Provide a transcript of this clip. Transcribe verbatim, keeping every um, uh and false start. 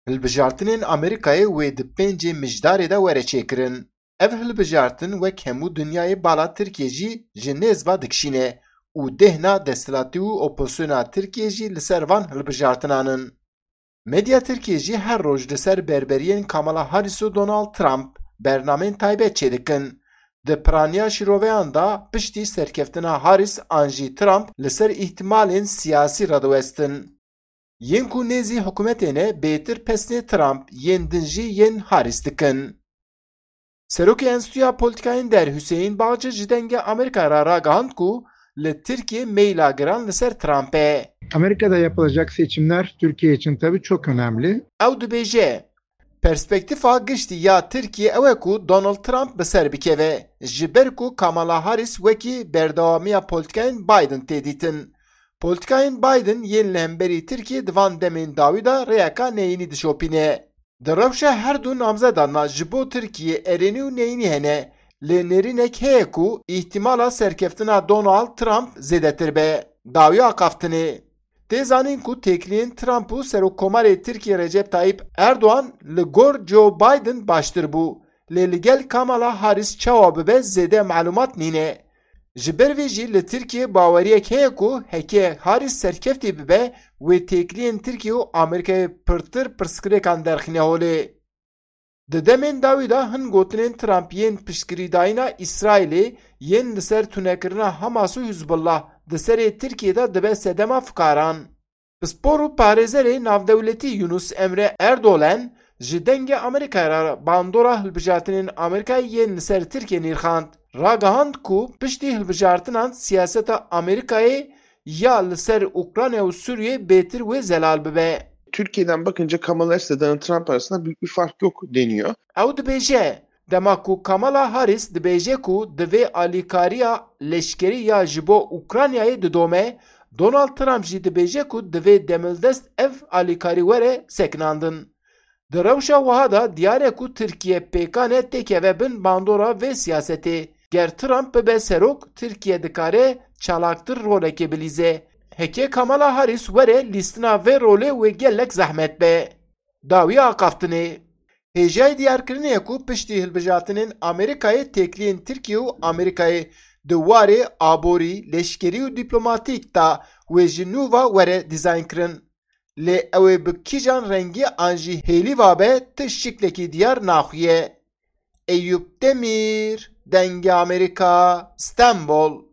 Hilbijartinên Amerîkayê wê di pêncê Mijdarê de were çêkirin. Ev hilbijartin wek hemû dinyayê bala Tirkiyê jî ji nêz ve dikişîne û dêhna desthilatî û opozisyona Tirkiyê jî li ser van hilbijartinan in. Medya Tirkiyê jî her roj li ser berberiyên Kamala Harris û Donald Trump bernameyên taybet çêdikin. Di piraniya şîroveyan de piştî serkeftina Harris an jî Trump li ser îhtimalên siyasî radiwestin. Yên ku nêzî hikûmetê ne bêtir pesnê Trump, yên din jî yên Harris dikin. Serokê Enstitûya Polîtîkayên Der Huseyîn Bağcı ji Dengê Amerîka re ragihand ku li Tirkiyê meyla giran li ser Trump e. Amerika'da yapılacak seçimler Türkiye için tabii çok önemli. Ew dibêje, perspektîfa giştî ya Tirkiyê ew e ku Donald Trump bi ser bikeve, ji ber ku Kamala Harris wekî berdewamiya polîtîkayên Biden tê dîtin. Polîtîkayên Biden yên li hemberî Tirkiyê di van demên dawî de rêyeka neyînî dişopîne. Di rewşa her du namzedan de ji bo Tirkiyê erênî û neyînî hene, lê nêrînek heye ku îhtimala serkeftina Donald Trump zêdetir be. Dawî axaftinê. Tê zanîn ku têkiliyên Trump û Serokkomarê Tirkiyê Recep Tayyip Erdogan li gor Joe Biden baştir bû, lê li gel Kamala Harris çawa bibe zêde malûmat nîne. Ji ber vê jî li Tirkiyê baweriyek heye ku heke Harris serkeftî bibe, wê têkiliyên Tirkiye û Amerîkayê pirtir pirsgirêkan derxîne holê. Di demên dawî de hin gotinên Trump yên piştgirîdayîna Îsraîlê, yên li ser tunekirina Hamas û Hizbullah di serê Tirkiyê de dibe sedema fikaran. Pispor û parêzerê navdewletî Yunus Emre Erdoğan ji Dengê Amerîkayê re bandora hilbijartinên Amerîkayê yên li ser Tirkiyê nirxand. Ragihand ku piştî hilbijartinan siyaseta Amerîkayê ya li ser Ukrayna û Sûriyê bêtir wê zelal bibe. Türkiye'den bakınca Kamala Harris ile Donald Trump arasında büyük bir fark yok deniyor. Ew dibêje, dema ku Kamala Harris dibêje ku divê alîkariya leşkerî ya ji bo Ukraynayê didome, Donald Trump jî dibêje ku divê demildest ev alîkarî were sekinandin. Di rewşa wiha de diyar e ku Tirkiye pêkan e têkeve bin bandora vê siyasetê. Ger Trump bibe serok, Tirkiye dikare çalaktir rolekê bilîze. Heke Kamala Harris were, lîstina vê rolê wê gelek zehmet be. Dawî axaftinê. Hêjayî diyarkirinê ye ku piştî hilbijartinên Amerîkayê têkiliyên Tirkiye û Amerîkayê di warê aborî, leşkerî û dîplomatîk de wê ji nû ve were dîzaynkirin. Lê ew ê bi kîjan rengî an jî hêlî ve be, ti şiklekî diyar naxuye. Eyûp Demîr, Dengê Amerîka, Stenbol.